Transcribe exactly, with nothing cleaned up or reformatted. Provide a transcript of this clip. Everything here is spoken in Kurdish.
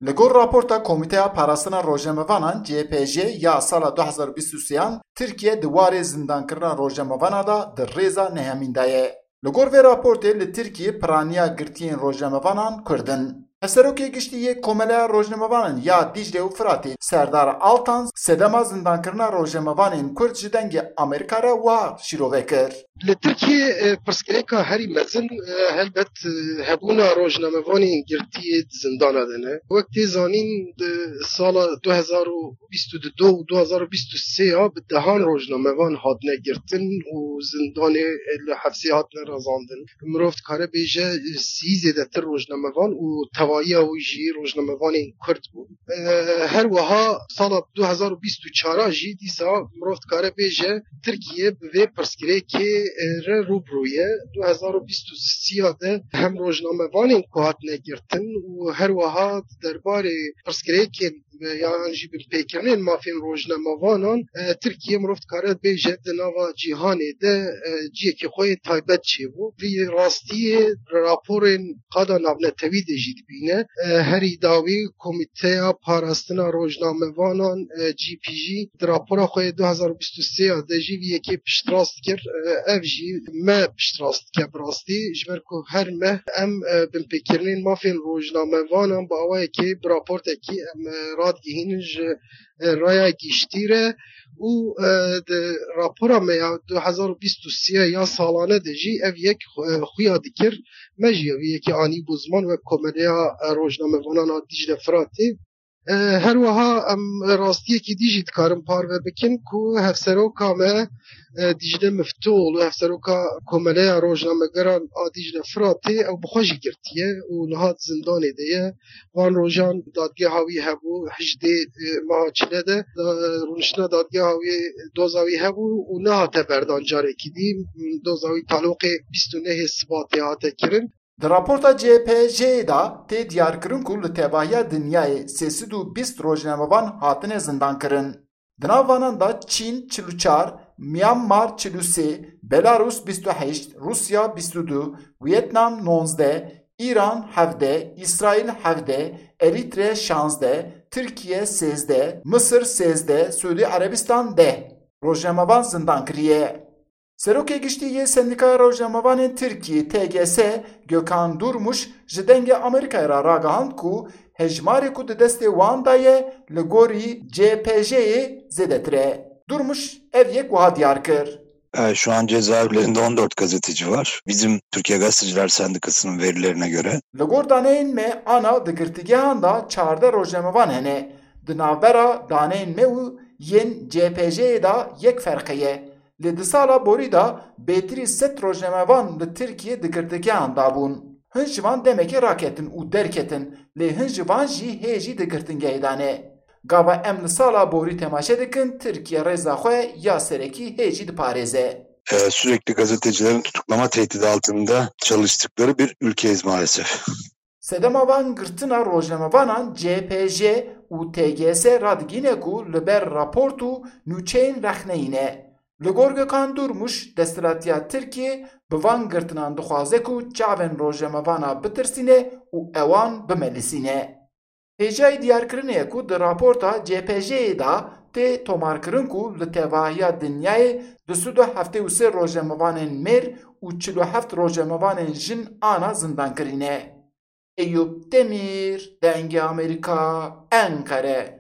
Li gor raporta Komîteya Parastina Rojnamevanan C P J ya sala du hezar û bîst û sêyan, Tirkiye di warê zindankirina rojnamevana de di rêza nehemîn de ye. Li gor vê raportê li Tirkiyê piraniya girtiyên rojnamevanan Kurd in. Hevserokê Giştî yê Komeleya Rojnamevanan ya Dîcle û Firatê Serdar Altan sedema zindankirina rojnamevanên Kurd ji Dengê Amerîka re wiha şîrove kir. Li Tirkiyê, e, pirsgirêka herî mezin, e, helbet, e, hebûna rojnamevanên girtiyê di zindana de ne. Wek tê zanîn, di sala du hezar û bîst û du û du hezar û bîst û sê ya bi dehan rojnamevan hatine girtin û zindanê li hefsê hatine razandin. Mirov dikare bêje, sî zêdetir rojnamevan û tevahiya wî jî rojnamevanên Kurd bûn. E, her wiha sala du hezar û bîst û çar jî dîsa mirov dikare bêje Tirkiye bi vê pirsgirêkê, e, re rû bi rû ye. Du hezar û bîst û sê de hem rojnamevanên ku hatine girtin û her wiha di derbarê pirsgirêkên, e, yan jî binpêkirinên mafên rojnamevanan, e, Tirkiye mirov dikare bêje di nava cîhanê de, e, ciyekî xwe yê taybet çêbû. Vî rastiyê raporên qada navnetewî de jî dibîne. E, herî dawî Komîteya Parastina Rojnamevanan, e, G P G, di rapora xwe yê du hezar û bîst û sê ya de jî vî yekê piştrast kir. E, ev jî me piştrast dike bi rastî, ji ber ku her meh em, e, binpêkirinên mafên rojnamevanan bi awayekê bi raportekî em, e, radigihînin ji, e, raya giştî re û, e, di rapora me ya du hezar û bîst û sê ya salane de jî ev yek, e, xuya dikir. Me jî vî yekê anî bû ziman wek Komeleya, e, Rojnamevanan a Dîcle Firatê. E, her wiha em rastiyekî dî jî dikarin parve bikin ku hevseroka me, e, Dîcle Miftûoğlu, hevseroka Komeleya Rojnamegeran a Dîcle Firatê, ew bi xwe jî girtiye û niha di zindanê de ye. Van rojan dadgeha wî hebû, hejdê, e, meha çile de, da, rûniştina dadgeha wî, doza wî hebû û nehate berdan carekî dî. Doza wî taloqê bîst û nehê Sibatê hate kirin. Di raporta C P J'ê de tê diyarkirin ku li tevahiya dinyayê sê sed û bîst rojnamevan hatine zindankirin. Di nav vanan de Çîn çil û çar, Myanmar çil û sê, Belarus bîst û heşt, Rûsya bîst û du, Wîetnam nozdeh, Îran hevdeh, Îsraîl hevdeh, Erître şazdeh, Tirkiye sêzdeh, Misir sêzdeh, Siûdî Erebistan deh rojnamevan zindan kiriye. Serokê Giştî yê Sendîkaya Rojnamevanên Tirkiyê, T G S, Gökhan Durmuş, ji Dengê Amerîkayê re ragihand ku hejmarê ku di destê wan de ye, li gorî C P J'ê zêdetir e. Durmuş ev yek wiha diyar kir. E, şu an cezaevlerinde on dört gazeteci var. Bizim Türkiye Gazeteciler Sendikası'nın verilerine göre. Li gor daneyên me, ana di girtîgehan de çardeh rojnamevan hene. Di navbera daneyên me û yên C P J'ê de yek ferqe ye. Lê di sala borî de bêtirî sed rojnamevan li Tirkiyê di girtîgehan de bûn. Hin ji van demekê raketin û derketin, lê hin ji van jî hê jî di girtîngehê de ne. Gava em li sala borî temaşe dikin, Tirkiye rêza xwe ya serekî hê jî diparêze. E, sürekli gazetecilerin tutuklama tehdidi altında çalıştıkları bir ülkeyiz maalesef. Sedema van girtina rojnamevanan C P J û T G S radigîne ku li ber raport û nûçeyên rexneyî ne. Li gor Gökhan Durmuş, desthilatiya Tirkiyê bi van girtinan dixwaze ku çavên rojnamevana bitirsîne û ewan bimelisîne. Hêjayî diyarkirinê ye ku di raporta C P J'ê de tê tomarkirin ku li tevahiya dinyayê du sed û heftê û sê rojnamevanên mêr û çil û heft rojnamevanên jin ana zindankirî ne. Eyûp Demîr, Dengê Amerîka, Enqere.